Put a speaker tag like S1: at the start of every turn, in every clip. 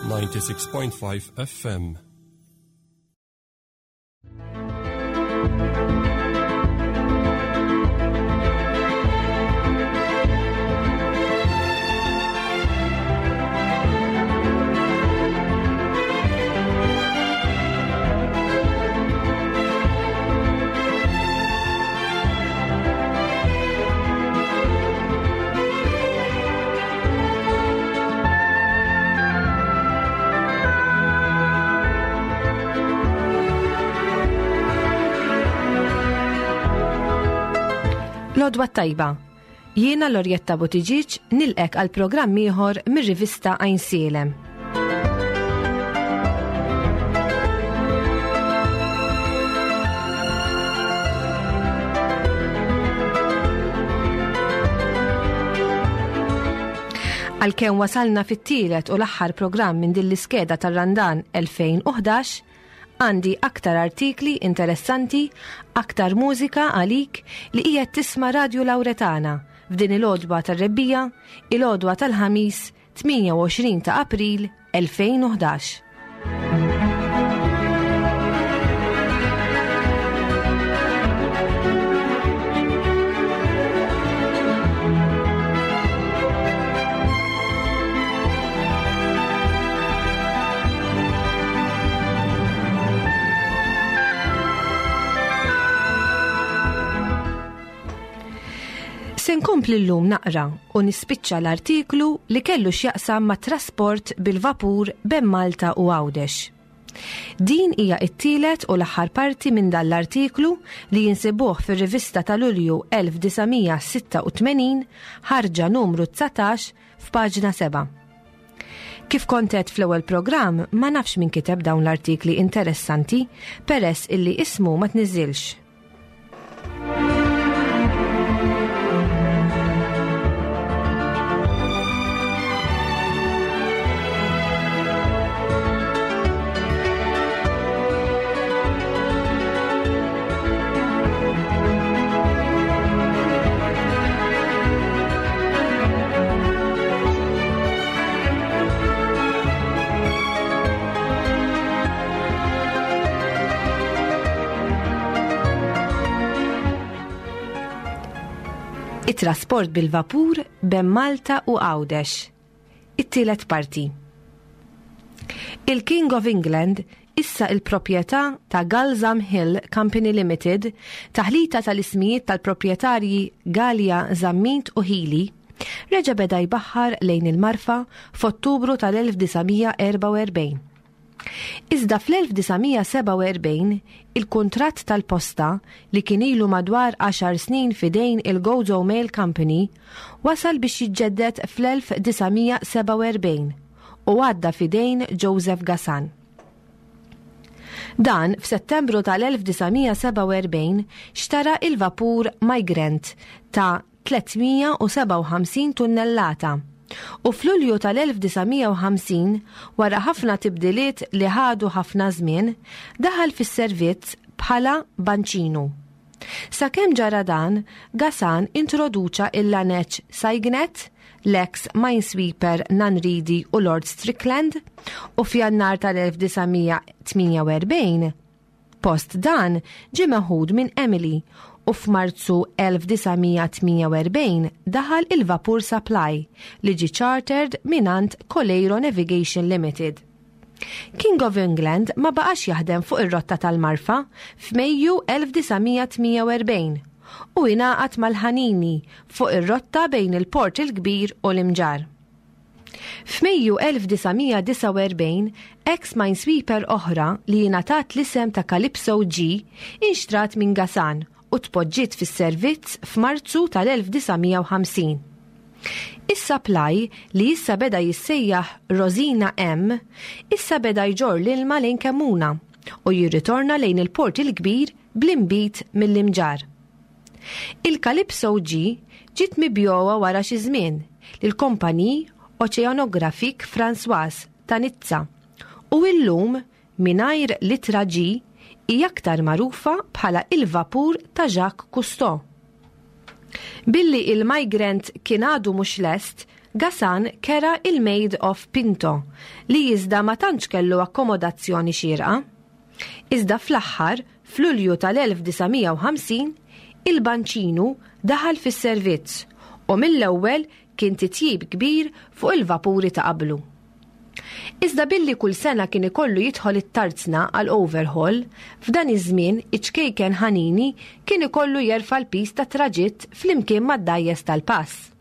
S1: 96.5 FM.
S2: Lodwa tajba. Jiena Lorjetta Buttigieg nilqek għal programm ieħor mir-rivista Għajnsielem. Għalkemm wasalna fit-tielet u l-aħħar programm minn din l-iskeda tar-Randan 2011, għandi aktar artikli interessanti, aktar mużika għalik li qiegħed tisma' Radju Lawretana f'din il-għodwa tar-rebbija, il-għodwa tal-ħamis 28 ta' April 2011. Se nkompli llum naqra u nispiċċa l-artiklu li kellu x'jaqsam ma' trasport bil-vapur bejn Malta u Għawdex. Din hija t-tielet u l-aħħar parti minn dan l-artiklu li jinsibuh fir-rivista ta' Lulju 1986, ħarġa numru 19 f'paġna 7. Kif kont għedt fl-ewwel programm, ma nafx min kiteb dawn l-artikli interessanti peress illi ismu ma tniżżilx. It-trasport bil-vapur bejn Malta u Għawdex. It-tielet parti. Il-King of England issa il-proprjetà ta' Galzam Hill Company Limited, taħlita tal-ismijiet tal-proprjetarji Galea Zammit u Hili, reġa' beda jbaħħar lejn il-Marfa f'Ottubru tal-1944. Iżda fl-1947 il-kuntratt tal-posta, li kien ilu madwar għaxar snin f'idejn il-Gozo Mail Company, wasal biex jiġġedded fl-1947 u għadda f'idejn Joseph Gasan. Dan f'Settembru tal-1947 xtara il-vapur Migrant ta' 357 tunnellata u f'Lulju tal-1950, wara ħafna tibdiliet li ħadu ħafna żmien, daħal fis-servizz bħala banċinu. Sakemm ġara dan, Gasan introduċa il-laneċ Cygnet, l-eks minesweeper Nanridi u Lord Strickland u f'Jannar tal-1948, Post dan ġie meħud minn Emily u f'Marzu 1948 daħal il-vapur Supply li ġie chartered mingħand Coleiro Navigation Limited. King of England ma baqax jaħdem fuq ir-rotta tal-Marfa f'Mejju 1948 u ingħaqad mal-Ħanini fuq ir-rotta bejn il-Port il-Kbir u l-Imġarr. F'Mejju 1949, ex minesweeper oħra li ingħatat l-isem ta' Calypso G inxtrat minn Gasan u tpoġġiet fis-servizz f'Marzu tal-1950. Is-Supply, li issa beda jissejjaħ Rosina M, issa beda jġorr l-ilma lejn Kemmuna u jirritorna lejn il-Port il-Kbir bl-inbid mill-Imġarr. Il-Calypso G ġiet mibjugħa wara xi żmien lill-Compagnie Oceanographique Françoise ta' Nizza u illum, mingħajr l-ittra G, hi aktar magħrufa bħala il-vapur ta' Jacques Cousteau. Billi il-Migrant kien għadu mhux lest, Gasan kera il-Maid of Pinto li iżda ma tantx kellu akkomodazzjoni xierqa. Iżda fl-aħħar, f'Lulju tal-1950, il-Banċinu daħal fis-servizz u mill-ewwel kien titjib kbir fuq il-vapuri ta' qablu. Iżda billi kull sena kien ikollu jidħol it-tarzna għal overhaul, f'dan iż-żmien iċ-ċkejken Ħanini kien ikollu jerfa' l-piż tat-traġitt flimkien mad-dgħajjes tal-pass.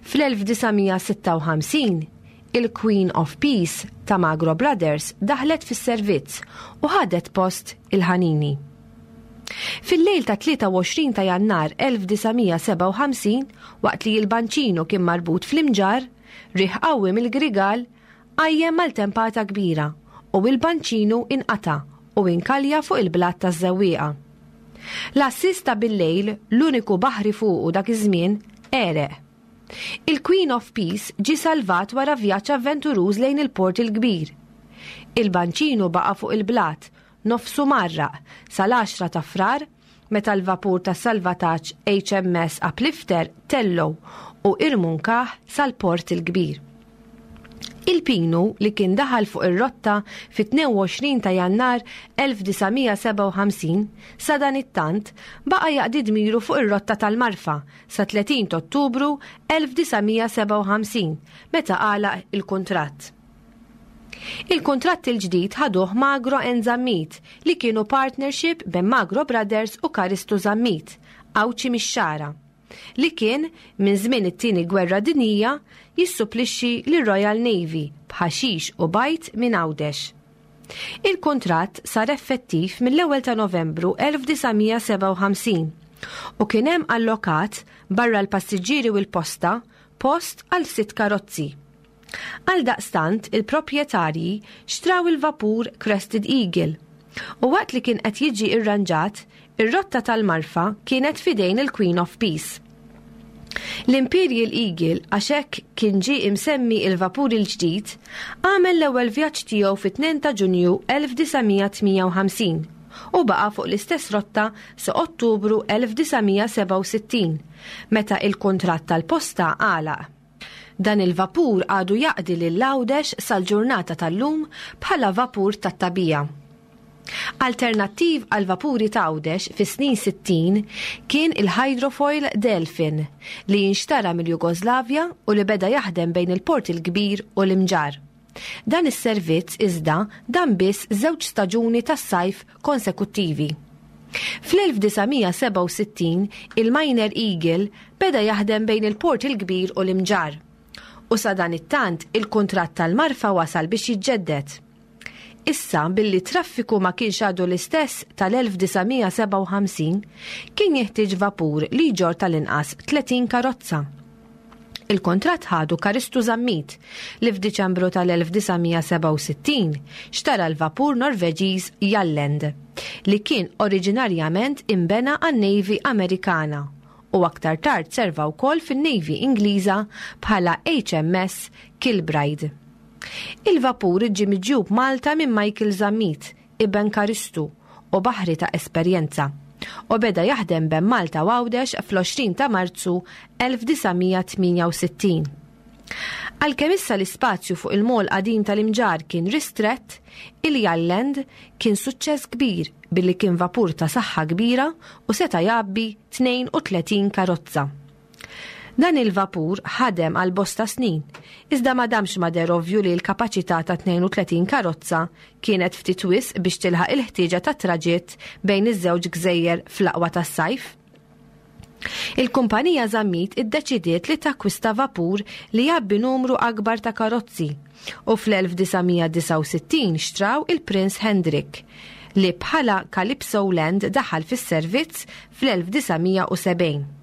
S2: Fl-1956, il-Queen of Peace ta' Magro Brothers daħlet fis-servizz u ħadet post il-Ħanini. Fil-lejl tat-23 ta' Jannar 1957, waqt li l-Banċinu kien marbut fl-Imġarr, Riħ qawwi mill-Grigal qajjem maltempata kbira u il-banċinu inqata' u inkalja fuq il-blat taż-Żewwieqa. L-għassies ta' billejl, l-uniku baħri fuqu dak iż-żmien, għereq. Il-Queen of Peace ġie salvat wara vjaġġ avventuruż lejn il-Port il-Kbir. Il-banċinu baqa' fuq il-blat, nofsu mgħarraq, sal-għaxra ta' Frar meta l-vapur ta' salvataġġ HMS Uplifter tellgħu u irmunkah sal-Port il-Kbir. Il-Pinu li kien daħal fuq ir-rotta fit-22 ta' Jannar 1957 sadanittant baqa' jaqdi dmiru fuq ir-rotta tal-Marfa sa 30 t'Ottubru 1957 meta għalaq il-kuntratt. Il-kuntratt il-ġdid ħaduh Magro and Zammit li kienu partnership bejn Magro Brothers u Karistu Zammit, Għawdxi mix-Xagħra, li kien, minn żmien it-Tieni Gwerra Dinjija, jissupplixxi lir-Royal Navy b'ħaxix u bajd minn Għawdex. Il-kuntratt sar effettiv mill-ewwel ta' Novembru 1957 u kien hemm allokat, barra l-passiġġieri u l-posta, post għal sitt karozzi. Għaldaqstant, il-proprjetarji xtraw il-vapur Crested Eagle u waqt li kien qed jiġi rranġat, ir-rotta tal-Marfa kienet f'idejn il-Queen of Peace. L-Imperial Eagle, għax hekk kien ġie imsemmi il-vapur il-ġdid, għamel l-ewwel vjaġġ tiegħu fit-2 ta' Ġunju 1958 u baqa' fuq l-istess rotta sa Ottubru 1967, meta il-kuntratt tal-posta għalaq. Dan il-vapur għadu jaqdi lil Għawdex sal-ġurnata tal-lum bħala vapur tat-tagħbija. Alternattiv għall-vapuri t'Għawdex fis-snin 60 kien il-hydrofoil Delfin li inxtara mill-Jugoslavja u li beda jaħdem bejn il-Port il-Kbir u l-Imġarr. Dan is-servizz iżda dam biss żewġ staġuni tas-sajf konsekuttivi. Fl-1967 il-Miner Eagle beda jaħdem bejn il-Port il-Kbir u l-Imġarr. U sadanittant il-kuntratt tal-Marfa wasal biex jiġġedded. Issa billi t-traffiku ma kienx għadu l-istess tal-1957, kien jeħtieġ vapur li jġorr tal-inqas 30 karozza. Il-kuntratt ħadu Karistu Zammit, li f'Diċembru tal-1967 xtara l-vapur Norveġiż Jalland, li kien oriġinarjament inbena għan-Navy Amerikana u aktar tard serva wkoll fin-Navy Ingliża bħala HMS Kilbride. Il-vapur ġie miġjub Malta minn Michael Zammit, iben Karistu u baħri ta' esperjenza, u beda jaħdem bejn Malta u Għawdex fl-20 ta' Marzu 1968. Għalkemm issa l-ispazju fuq il-mall qadim tal-Imġarr kien ristrett, il-Jalland kien suċċess kbir billi kien vapur ta' saħħa kbira u seta' jgħabbi 32 karozza. Dan il-vapur ħadem għal bosta snin, iżda ma damx ma deher ovvju li l-kapaċità ta' 32 karozza kienet ftit wisq biex tilħaq il-ħtieġa tat-traġitt bejn iż-żewġ gżejjer fl-aqwa tas-sajf. Il-kumpanija Zammit iddeċidiet li takkwista vapur li jgħabbi numru akbar ta' karozzi u fl-1969 xtraw il-Prince Hendrik, li bħala Calypso Land daħal fis-servizz fl-1970.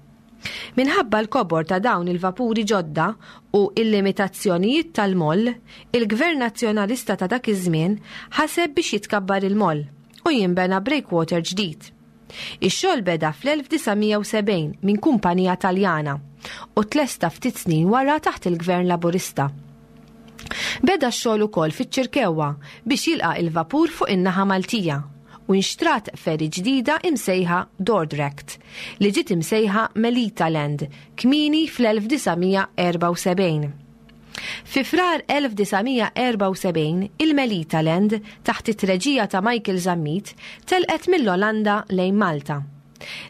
S2: Minħabba l-kobor ta' dawn il-vapuri ġodda u l-limitazzjonijiet tal-moll, il-Gvern Nazzjonalista ta' dak iż-żmien ħaseb biex jitkabbar il-moll u jinbena breakwater ġdid. Ix-xogħol beda fl-1970 minn kumpanija Taljana u tlesta ftit snin wara taħt il-Gvern Laburista. Beda x-xogħol ukoll fiċ-Ċirkewwa biex jilqa' il-vapur fuq in-naħa Maltija. u nxtrat ferry ġdida imsejħa Dordrecht li ġiet imsejħa Melita Land kmieni fl-1974. Fi Frar 1974 il-Melita Land taħt it-treġija ta' Michael Zammit telqet mill-Olanda lejn Malta.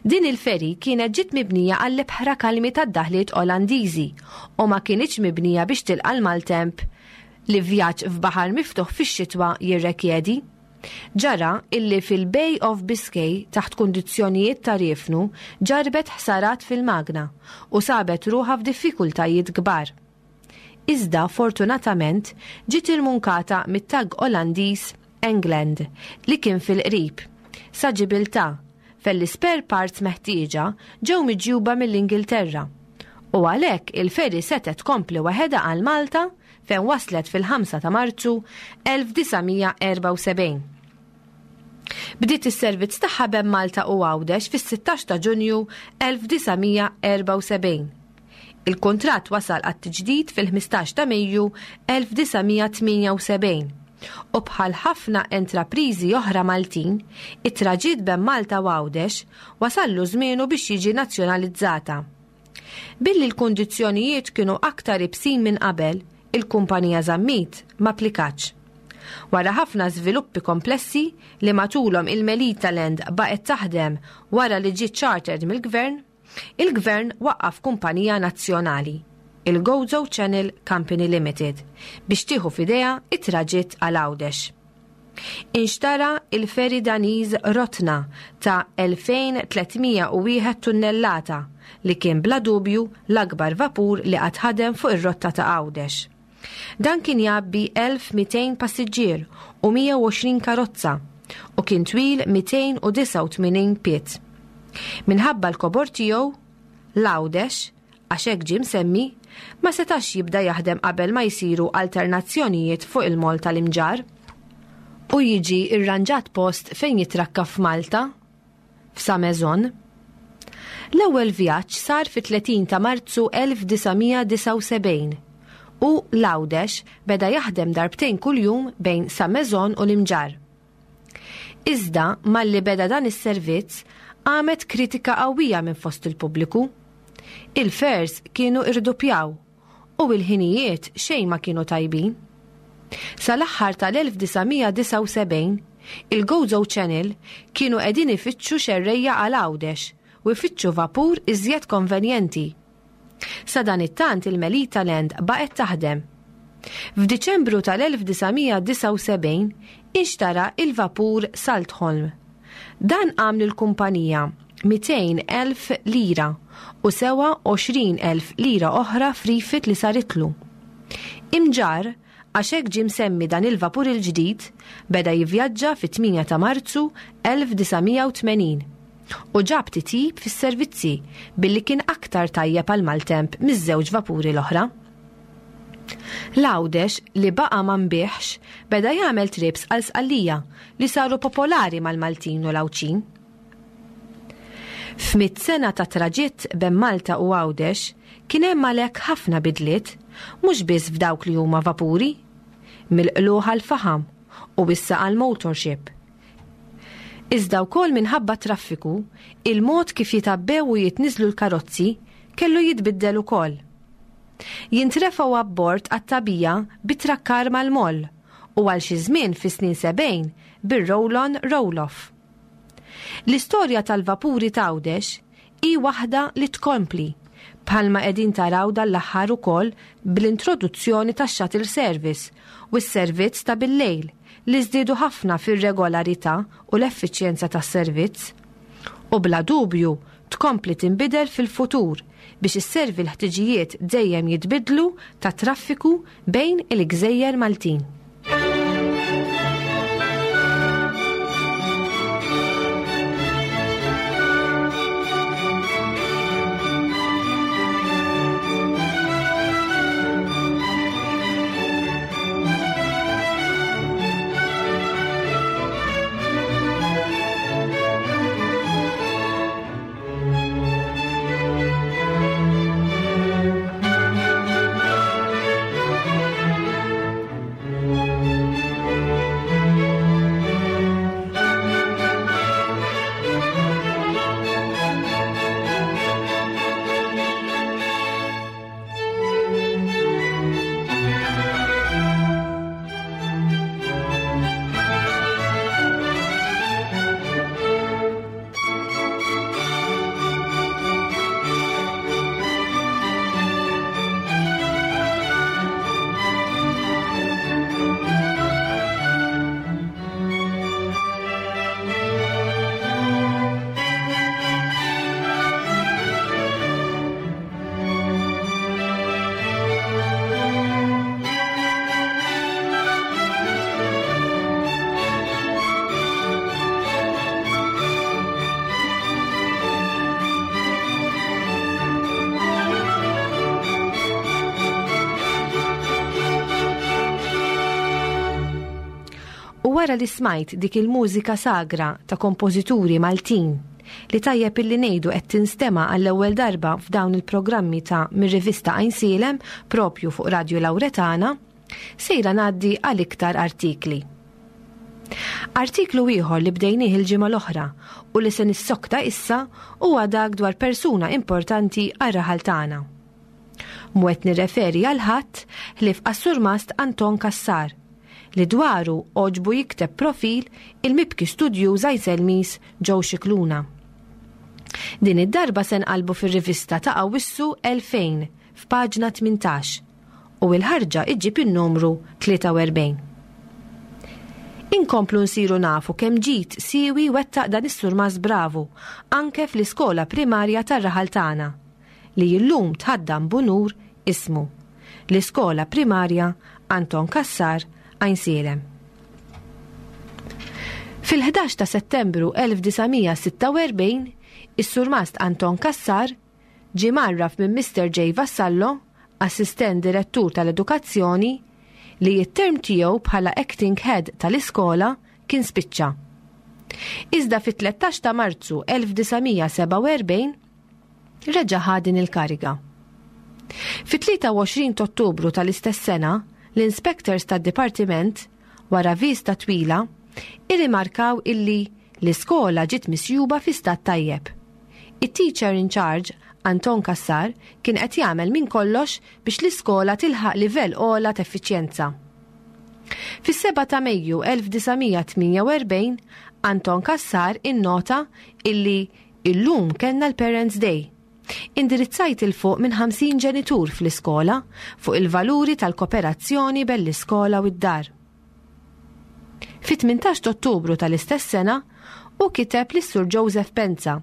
S2: Din il-ferry kienet ġiet mibnija għall-ibħra kalmi tad-daħliet Olandiżi u ma kinitx mibnija biex tilqa' l-maltemp li vjaġġ f'baħar miftuħ fix-xitwa jirrekjedi. Ġara illi fil-Bay of Biscay taħt kundizzjonijiet ta' riefnu ġarrbet ħsarat fil-magna u sabet ruħha f'diffikultajiet kbar. Iżda fortunatament ġiet irmunkata mit-tug Olandiż England li kien fil-qrib, sa Ġibiltà, fejn l-ispare parts meħtieġa ġew miġjuba mill-Ingilterra. U għalhekk il-ferry setgħet tkompli waħedha għal Malta fejn waslet fil-5 ta' Marzu 1974. Bdiet is-servizz tagħha bejn Malta u Għawdex fis-16 ta' Ġunju 1974. Il-kuntratt wasal għat-tiġdid fil-15 ta' Mejju 1978 u bħal ħafna entrapriżi oħra Maltin, it-traġitt bejn Malta u Għawdex wasallu żmienu biex jiġi nazzjonalizzata. Billi l-kundizzjonijiet kienu aktar ibsin minn qabel, il-kumpanija Zammit ma applikatx. Wara ħafna żviluppi komplessi li matulhom il-Melita Land baqgħet taħdem wara li ġiet chartered mill-Gvern, il-Gvern waqqaf kumpanija nazzjonali, il-Gozo Channel Company Limited, biex tieħu f'idejha t-traġitt għal Għawdex. Inxtara il-ferry Daniż Rotna ta' 2,301 tunnellata li kien bla dubju l-akbar vapur li qatt ħadem fuq ir-rotta ta' Għawdex. Dan kien jgħabbi 1,200 passiġġier u 120 karozza u kien twil 289 pied. Minħabba l-kobor tiegħu, l-Għawdex, għax hekk ġie msemmi, ma setax jibda jaħdem qabel ma jsiru alternazzjonijiet fuq il-moll tal-Imġarr u jiġi rranġat post fejn jitrakka f'Malta, f'Sa Maison. L-ewwel vjaġġ sar fit-30 ta' Marzu 1979 u l-Għawdex beda jaħdem darbtejn kuljum bejn Sa Maison u l-Imġarr. Iżda malli beda dan is-servizz qamet kritika qawwija minn fost il-pubbliku. Il-fares kienu irduppjaw u l-ħinijiet xejn ma kienu tajbin. Sal-aħħar tal-1979, il-Gozo Channel kienu qegħdin ifittxu xerrejja għal Għawdex u jfittxu vapur iżjed konvenjenti. Sadanittant il-Melita Land baqgħet taħdem. F'Diċembru tal-1979 inxtara il-vapur Saltholm. Dan qam lill-kumpanija 200,000 lira u sewa 20,000 lira oħra f'rifit li saritlu. Imġarr, għax hekk ġie msemmi dan il-vapur il-ġdid, beda jivvjaġġa fit-8 ta' Marzu 1980 u ġab titjib fis-servizzi billi kien aktar tajjeb għall-maltemp miż-żewġ vapuri l-oħra. L-Għawdex li baqa' ma nbiegħx beda jagħmel trips għal Sqallija li saru popolari mal-Maltin u l-Għawdxin. F'mitt sena ta' traġitt bejn Malta u Għawdex kien hemm għalhekk ħafna bidliet, mhux biss f'dawk li huma vapuri. Mill-qlugħ għall-faħam u issa għall-motorship. Iżda wkoll minħabba t-traffiku, il-mod kif jitgħabbew u jitniżżlu l-karozzi kellu jitbiddel ukoll. Jintrefgħu abbord għat-tagħbija bit-trakkar mal-moll u għal xi żmien fis-snin 70 bir-roll-on roll-off. L-istorja tal-vapuri t'Għawdex hi waħda li tkompli, bħalma qegħdin taraw dan l-aħħar ukoll bl-introduzzjoni tax-shuttle service u s-servizz ta' billejl li żdiedu ħafna fir-regolarità u l-effiċjenza tas-servizz. U bla dubju tkompli tinbidel fil-futur biex isservi l-ħtiġijiet dejjem jitbiddlu tat-traffiku bejn il-gżejjer Maltin. wara li smajt dik il-mużika sagra ta' kompożituri Maltin, li tajjeb illi ngħidu qed tinstema' għall-ewwel darba f'dawn il-programmi ta' mir-rivista Għajnsielem propju fuq Radju Lawretana, sejra ngħaddi għal iktar artikli. Artiklu ieħor li bdejnieh il-ġimgħa l-oħra u li se nissokta issa huwa dak dwar persuna importanti għar-raħal tagħna. Mhu qed nirreferi għal ħadd ħlief għas-Surmast Anton Cassar, li dwaru għoġbu jikteb profil il-mibki studjuż Għajnselmiż Joe Scicluna. Din id-darba se nqallbu fir-rivista ta' Awwissu 2000 f'paġna 18 u l-ħarġa iġġib in-numru 43. Inkomplu nsiru nafu kemm ġid siewi wettaq dan is-surmast bravu anke fl-iskola primarja tar-raħal tagħna, li illum tħaddan b'unur ismu, l-Iskola Primarja Anton Cassar, Għajnsielem. Fil-11 ta' Settembru 1946, is-Surmast Anton Cassar ġie mgħarraf minn Mister J. Vassallo, Assistent Direttur tal-Edukazzjoni, li t-term tiegħu bħala Acting Head tal-iskola kien spiċċa. Iżda fit-13 ta' Marzu 1947, reġa' ħa din il-kariga. Fit-23 t'Ottubru tal-istess sena, l-inspectors tad-dipartiment, wara vista twila, irrimarkaw illi l-iskola ġiet misjuba fi stat tajjeb. It-teacher in charge, Anton Cassar, kien qed jagħmel minn kollox biex l-iskola tilħaq livell ogħla t'effiċjenza. Fis-7 ta' Mejju 1948, Anton Cassar innota illi Illum kellna l-Parents Day. Indirizzajt 'il fuq minn 50 ġenitur fl-iskola fuq il-valuri tal-koperazzjoni bejn l-iskola u d-dar. Fit-18 t'Ottubru tal-istess sena, hu kiteb lis-Sur Joseph Penza,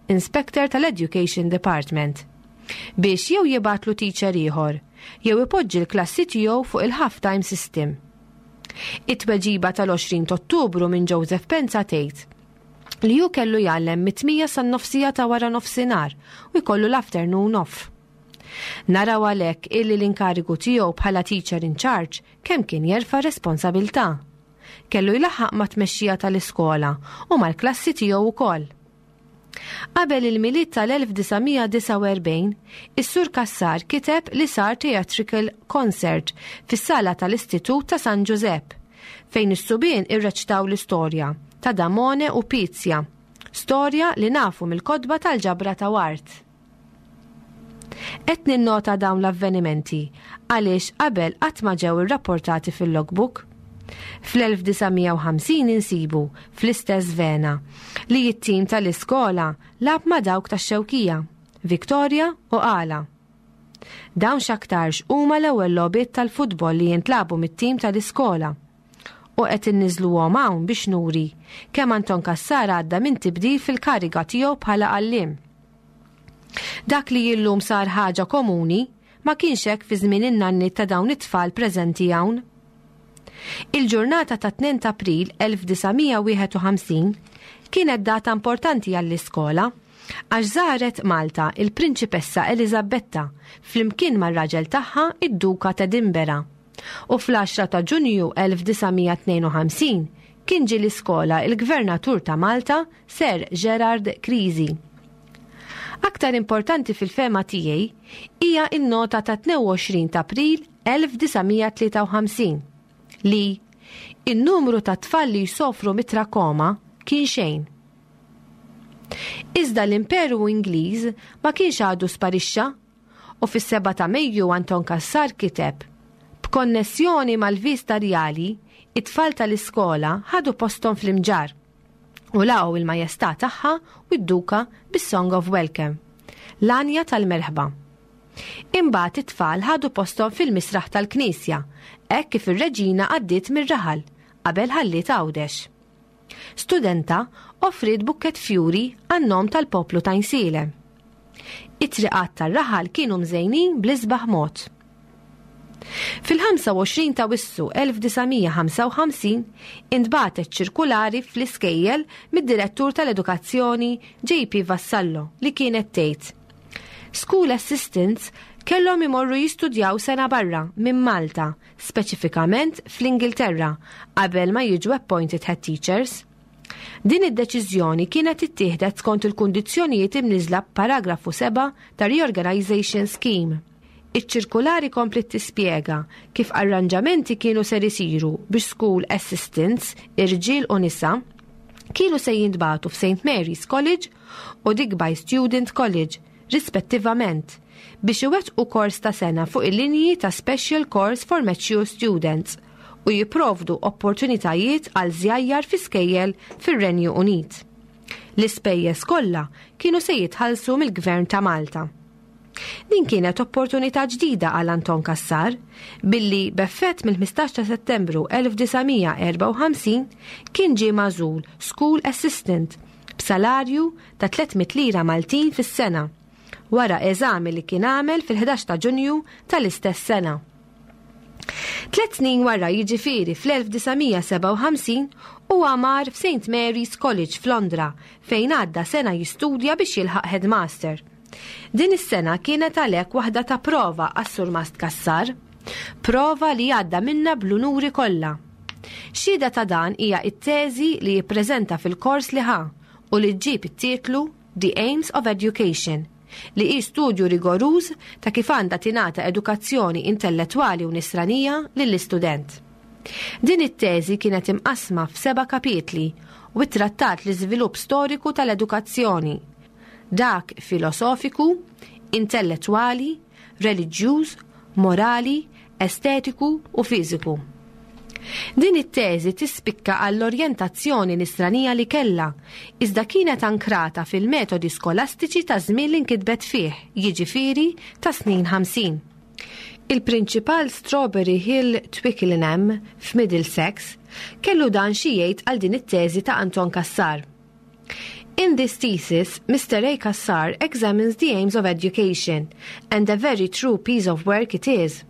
S2: Inspector tal-Education Department, biex jew jibgħatlu teacher ieħor jew ipoġġi l-klassi tiegħu fuq il-half-time system. It-tweġiba tal-20 t'Ottubru minn Joseph Penza tgħid, li hu kellu jgħallem mit-tmija san-nofsija ta' wara nofsinhar u jkollu l-afternoon off. Naraw għalhekk illi l-inkarigu tiegħu bħala teacher in charge kemm kien jerfa' responsabilità. Kellu jlaħħaq mat-tmexxija tal-iskola u mal-klassi tiegħu wkoll. Qabel il-Milied tal-1949, is-Sur Cassar kiteb li sar theatrical concert fis-sala tal-Istitut ta' San Ġużepp, fejn is-subien irreċtaw l-istorja ta' Damone u Pizja, storja li nafu mill-kotba tal-ġabra ta' Ward. Qed ninnota dawn l-avvenimenti għaliex qabel qatt ma ġew irrapportati fil-logbook. Fl-1950 insibu, fl-istess vena, li t-tim tal-iskola lagħab ma' dawk tax-Xewkija, Victoria u Qala. Dawn x'aktarx huma l-ewwel logħbiet tal-futbol li jintlagħbu mit-tim tal-iskola. U qed inniżżluhom hawn biex nuri kemm Anton Cassar għadda minn tibdil fil-kariga tiegħu bħala għalliem. Dak li illum sar ħaġa komuni ma kienx hekk fi żmien in-nanniet ta' dawn it-tfal preżenti hawn. Il-ġurnata ta' 2 ta' April 1951 kienet data importanti għall-iskola għax żaret Malta il-Prinċipessa Eliżabetta flimkien mar-raġel tagħha id-Duka t'Edinburgh. U fl-10 ta' Ġunju 1952 kien ġie l-iskola il-Gvernatur ta' Malta Sir Gerard Creasy. Aktar importanti fil-fehma tiegħi hija n-nota ta' 22 ta' April 1953 li in-numru ta' tfal li jsofru mit-trakoma kien xejn. Iżda l-Imperu Ingliż ma kienx għadu sparixxa u fis-7 ta' Mejju Anton Cassar kiteb, B'konnessjoni mal-Vista Rjali, it-tfal tal-iskola ħadu posthom fl-Imġarr u laqgħu il-Majestà tagħha u d-Duka bis-Song of Welcome, l-għanja tal-merħba. Imbagħad it-tfal ħadu posthom fil-misraħ tal-knisja hekk kif ir-Reġina għaddiet mir-raħal qabel ħalliet Għawdex. Studenta offriet bukkett fjuri għan-nom tal-poplu t'Għajnsielem. It-triqat tar-raħal kienu mżejnin bl-isbaħ mod. Fil-25 ta' Wissu 1955 intbagħtet ċirkulari fl-iskejjel mid-Direttur tal-Edukazzjoni JP Vassallo li kienet tgħid School assistants kellhom imorru jistudjaw sena barra minn Malta, speċifikament fl-Ingilterra, qabel ma jiġu appointed head teachers. Din id-deċiżjoni kienet ittieħdet skont il-kundizzjonijiet imniżżla b'paragrafu 7 ta' Reorganisation Scheme. Iċ-ċirkulari kompliet tispjega kif arranġamenti kienu ser isiru biex school assistants, irġiel u nisa, kienu se jintbagħtu f'St Mary's College u Digby Student College, rispettivament, biex iwettqu kors ta' sena fuq il-linji ta' Special Course for Mature Students u jipprovdu opportunitajiet għal żjajjar fi skejjel fir-Renju Unit. L-ispejjeż kollha kienu se jitħallsu mill-Gvern ta' Malta. Din kienet opportunità ġdida għal Anton Cassar billi b'effett mill-15 ta' Settembru 1954 kien ġie magħżul School Assistant b'salarju ta' 300 lira Maltin fis-sena wara eżami li kien għamel fil-11 ta' Ġunju tal-istess sena. Tlet snin wara jiġifieri fl-1957 huwa mar f'St Mary's College f'Londra fejn għadda sena jistudja biex jilħaq headmaster. Din is-sena kienet għalhekk waħda ta' prova għas-Surmast Cassar. Prova li għadda minnha bl-unuri kollha. Xhieda ta' dan hija t-teżi li jippreżenta fil-kors li ħa u li ġġib it-titlu The Aims of Education, li hi studju rigoruż ta' kif għandha tingħata edukazzjoni intellettwali u nisranija lill-istudent. Din it-teżi kienet imqassma f'seba' kapitli u ttrattat l-iżvilupp storiku tal-edukazzjoni, dak filosofiku, intellettwali, reliġjuż, morali, estetiku u fiżiku. Din it-teżi tispikka għall-orjentazzjoni nisranija li kellha, iżda kienet ankrata fil-metodi skolastiċi taż-żmien li nkitbet fih, jiġifieri tas-snin 50. Il-Prinċipal Strawberry Hill Twickenham f'Middlesex kellu dan xi jgħid għal din it-teżi ta' Anton Cassar. In this thesis, Mr. A. Cassar examines the aims of education, and a very true piece of work it is.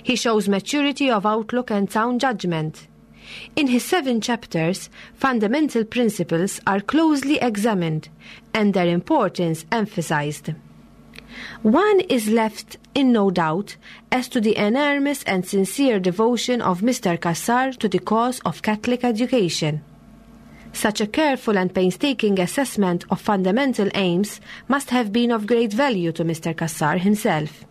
S2: He shows maturity of outlook and sound judgment. In his seven chapters, fundamental principles are closely examined and their importance emphasized. One is left in no doubt as to the enormous and sincere devotion of Mr. Cassar to the cause of Catholic education. Such a careful and painstaking assessment of fundamental aims must have been of great value to Mr. Cassar himself.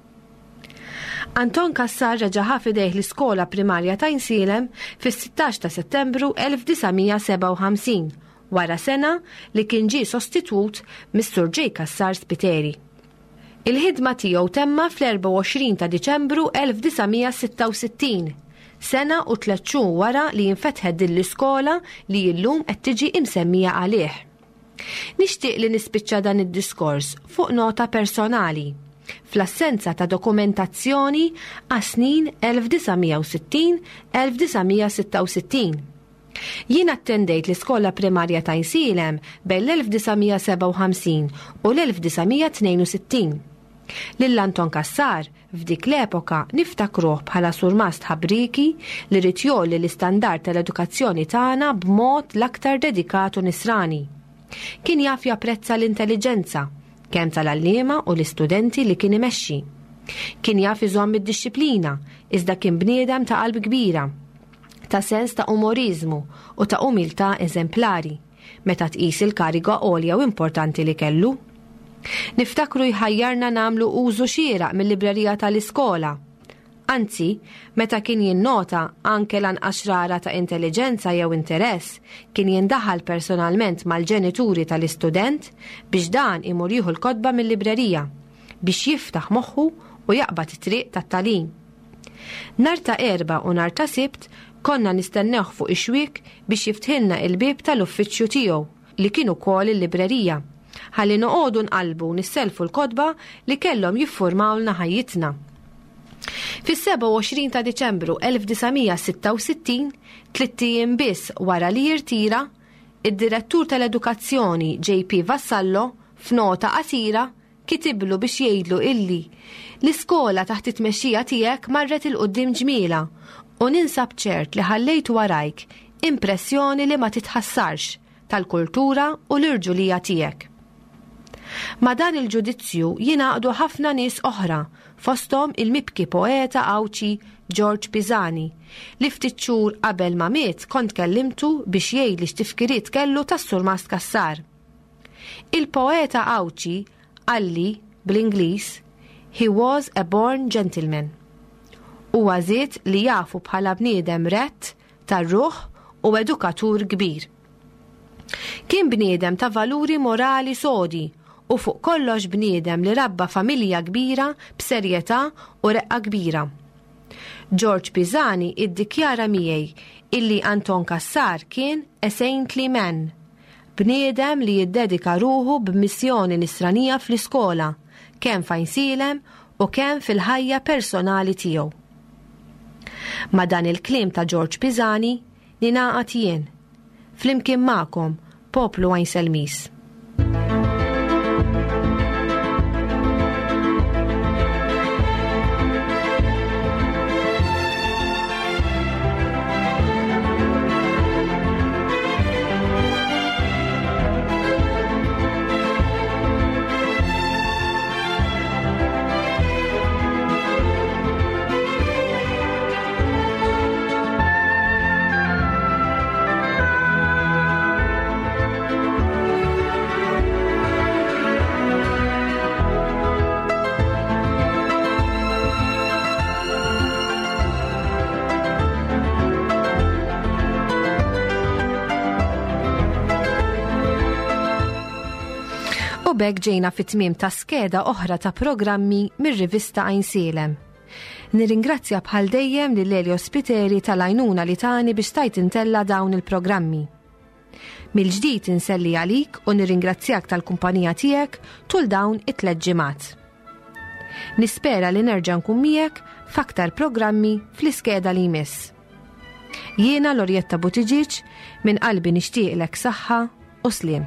S2: Anton Cassar reġa' ħa f'idejh l-iskola primarja ta' Għajnsielem fis-16 ta' Settembru 1957 wara sena li kien ġie sostitwut mis-Sur J. Cassar Spiteri. Il-ħidma tiegħu temma fl-24 ta' Diċembru 1966, sena u tlett xhur wara li infetħet din l-iskola li illum qed tiġi imsemmija għalih. Nixtieq li nispiċċa dan id-diskors fuq nota personali, fl-assenza ta' dokumentazzjoni għas-snin 1960-1966. Jien attendejt l-iskola primarja ta' Għajnsielem bejn l-1957 u l-1962. Lil Anton Cassar f'dik l-epoka niftakruh bħala surmast ħabrieki li ried jgħolli l-istandard tal-edukazzjoni tagħna b'mod l-aktar dedikat u nisrani. Kien jaf japprezza l-intelliġenza, kemm tal-għalliema u l-istudenti li kien imexxi. Kien jaf iżomm id-dixxiplina, iżda kien bniedem ta' qalb kbira. ta' sens ta' umoriżmu u ta' umiltà eżemplari, meta tqis il-kariga għolja u importanti li kellu. Niftakru jħajjarna nagħmlu użu xieraq mil-librerija tal-iskola. Anzi, meta kien jinnota anke l-anqas xrara ta' intelliġenza jew interess, kien jindaħal personalment mal-ġenituri tal-istudent biex dan imur jieħu l-kotba mil-librerija, biex jiftaħ moħħu u jaqbad it-triq tat-tagħlim. Nhar ta' Erbgħa u nhar ta' Sibt konna nistennewh fuq ix-xwiek biex jiftħilna il-bieb tal-uffiċċju tiegħu, li kien ukoll il-librerija, ħalli noqogħdu nqallbu u nissellfu l-kotba li kellhom jiffurmawlna ħajjitna. Fis-27 ta' Diċembru 1966, tlitt ijiem biss wara li jirtira, id-Direttur tal-Edukazzjoni JP Vassallo, f'nota qasira, Kitiblu biex jgħidlu illi l-iskola taħt it-tmexxija tiegħek marret 'il quddiem ġmielha u ninsab ċert li ħallejt warajk impressjoni li ma titħassarx tal-kultura u l-irġulija tiegħek. Ma' dan il-ġudizzju jingħaqdu ħafna nies oħra, fosthom il-mibki poeta Għawdxi George Pisani, li ftit xhur qabel ma miet kont kellimtu biex jgħidli x'tifkiriet kellu tas-Surmast Cassar. Il-poeta Għawdxi qalli, bl-Ingliż, He was a born gentleman. Huwa żied li jafu bħala bniedem rett, tar-ruħ u edukatur kbir. Kien bniedem ta' valuri morali sodi u fuq kollox bniedem li rabba familja kbira b'serjetà u reqqa kbira. George Pisani iddikjara miegħi illi Anton Cassar kien a saintly man, bniedem li jiddedika ruħu b'missjoni nisranija fl-iskola, kemm f'Għajnsielem u kemm fil-ħajja personali tiegħu. Ma' dan il-kliem ta' George Pisani ningħaqad jien, flimkien magħkom, poplu Għajnselmiż. U b'hekk ġejna fit-tmiem ta' skeda oħra ta' programmi mir-rivista Għajnsielem. Nirringrazzja bħal dejjem lil Elio Spiteri tal-għajnuna li tani biex stajt intella' dawn il-programmi. Mill-ġdid inselli għalik u nirringrazzjak tal-kumpanija tiegħek tul dawn it-tlet ġimgħat. Nispera li nerġa' nkun miegħek f'aktar programmi fl-iskeda li jmiss. Jiena Lorjetta Buttigieg minn qalbi nixtieqlek saħħa u sliem.